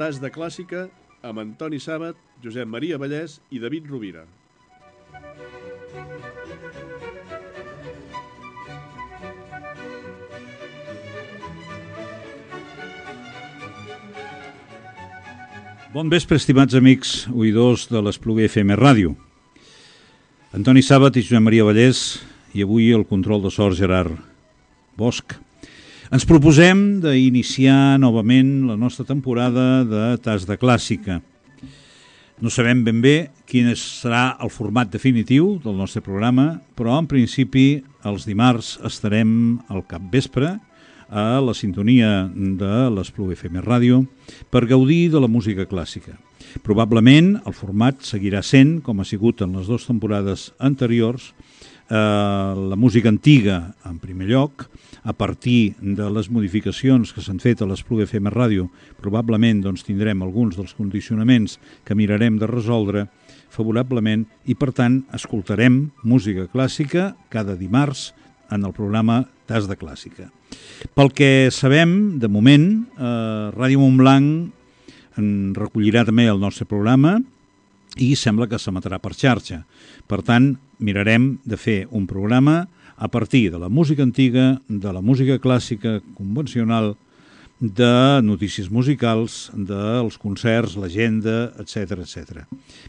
Tas de Clàssica amb Antoni Sàbat, Josep Maria Vallès i David Rovira. Bon vespre, estimats amics oïdors de l'Espluguer FM Ràdio. Antoni Sàbat i Josep Maria Vallès, i avui el control de sort Gerard Bosch. Ens proposem d'iniciar novament la nostra temporada de Tas de Clàssica. No sabem ben bé quin serà el format definitiu del nostre programa, però en principi els dimarts estarem al capvespre a la sintonia de l'Espluguer FM Ràdio per gaudir de la música clàssica. Probablement el format seguirà sent, com ha sigut en les dues temporades anteriors, la música antiga en primer lloc, a partir de les modificacions que s'han fet a l'Espluguer FM Ràdio. Probablement tindrem alguns dels condicionaments que mirarem de resoldre favorablement i, per tant, escoltarem música clàssica cada dimarts en el programa Tas de Clàssica. Pel que sabem, de moment, Ràdio Montblanc en recollirà també el nostre programa i sembla que s'emetrà per xarxa. Per tant, mirarem de fer un programa a partir de la música antiga, de la música clàssica convencional, de notícies musicals, dels concerts, l'agenda, etc. etc.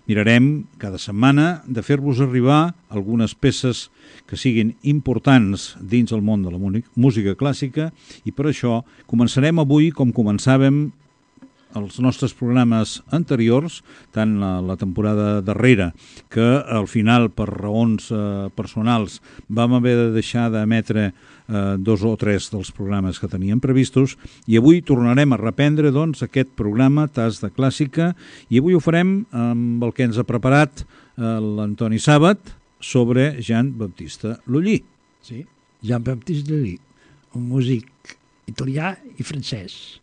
Mirarem cada setmana de fer-vos arribar algunes peces que siguin importants dins el món de la música clàssica i per això començarem avui com començàvem els nostres programes anteriors, tant la temporada darrera, que al final, per raons personals, vam haver de deixar d'emetre 2 o 3 dels programes que teníem previstos, i avui tornarem a reprendre aquest programa Tas de Clàssica, i avui ho farem amb el que ens ha preparat l'Antoni Sàbat sobre Jean-Baptiste Lully. Sí, Jean-Baptiste Lully, un músic italià i francès.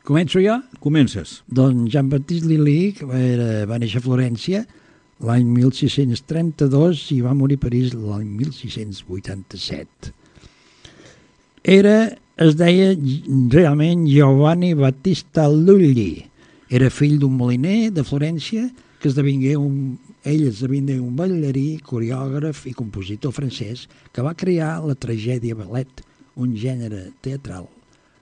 Començo jo? Comences. Doncs Jean-Baptiste Lully va néixer a Florència l'any 1632 i va morir a París l'any 1687. Es deia realment Giovanni Battista Lully. Era fill d'un moliner de Florència que esdevingué un ballarí, coreògraf i compositor francès que va crear la tragèdia ballet, un gènere teatral,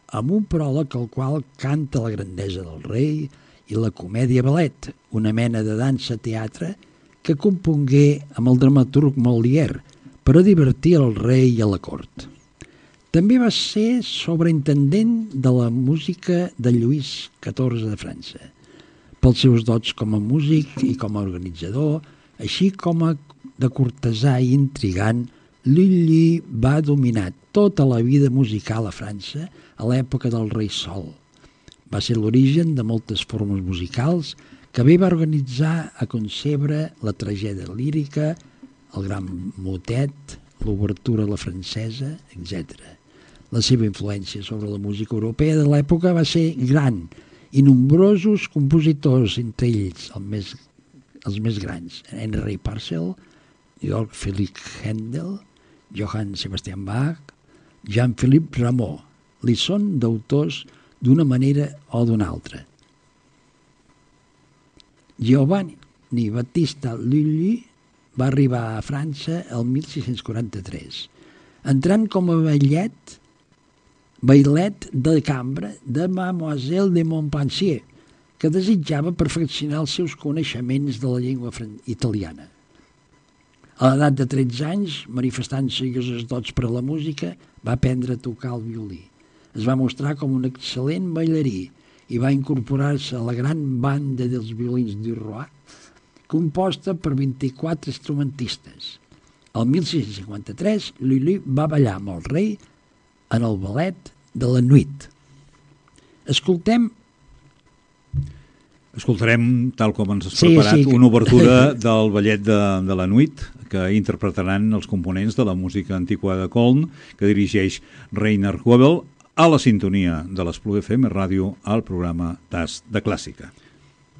amb un pròleg al qual canta la grandesa del rei, i la comèdia ballet, una mena de dansa-teatre que compongué amb el dramaturg Molière per a divertir el rei i a la cort. També va ser sobreintendent de la música de Lluís XIV de França. Pels seus dots com a músic i com a organitzador, així com de cortesà i intrigant, Lully va dominar tota la vida musical a França a l'època del rei Sol. Va ser l'origen de moltes formes musicals que bé va organitzar a concebre la tragèdia lírica, el gran motet, l'obertura a la francesa, etc. La seva influència sobre la música europea de l'època va ser gran i nombrosos compositors, entre ells els més grans, Henry Purcell, Georg Friedrich Händel, Johann Sebastian Bach, Jean-Philippe Rameau, li són d'autors d'una manera o d'una altra. Giovanni Battista Lully va arribar a França el 1643, entrant com a bailet de cambra de Mademoiselle de Montpensier, que desitjava perfeccionar els seus coneixements de la llengua italiana. A l'edat de 13 anys, manifestant serioses dots per a la música, va aprendre a tocar el violí. Es va mostrar com un excel·lent ballarí i va incorporar-se a la gran banda dels violins du Roi, composta per 24 instrumentistes. El 1653, Lully va ballar amb el rei en el ballet de la Nuit. Escoltarem, tal com ens has preparat, una obertura del ballet de la Nuit, que interpretaran els components de la música antiquada de Köln, que dirigeix Rainer Goebel, a la sintonia de l'Espluguer FM Ràdio al programa Tas de Clàssica.